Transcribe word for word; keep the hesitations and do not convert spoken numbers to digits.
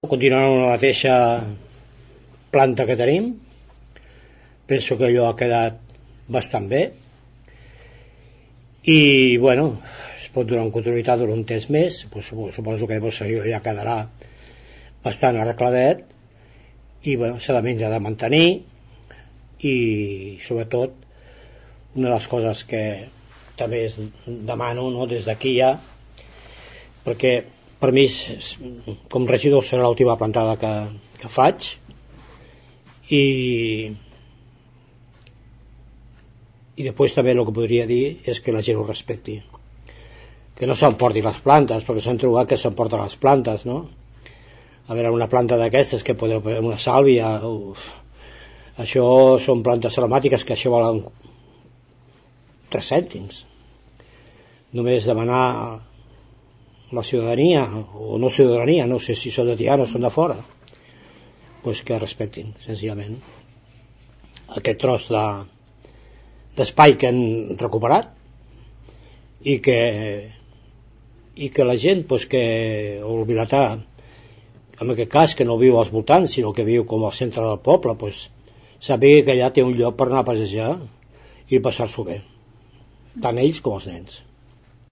Continuant amb la mateixa planta que tenim, penso que allò ha quedat bastant bé i bueno, es pot donar en continuïtat durant un temps més, pues, suposo que pues, allò ja quedarà bastant arregladet i bueno, s'ha de, de mantenir i sobretot una de les coses que també es demano, no, des d'aquí ja, perquè per mi com regidor serà l'última plantada que, que faig i i després també el que podria dir és que la gent ho respecti, que no s'emporti les plantes, perquè s'han trobat que s'emporten les plantes, no? A veure, una planta d'aquestes que podeu, una sàlvia, uf, això són plantes aromàtiques que això valen tres cèntims. Només demanar a la ciutadania, o no ciutadania, no sé si són de Tiana o són de fora, pues que respectin, senzillament, aquest tros de d'espai que han recuperat i que i que la gent pues, que o el vilatà en aquest cas que no viu als voltants sinó que viu com al centre del poble pues, sàpiga que allà té un lloc per anar a passejar i passar-s'ho bé, tant ells com els nens.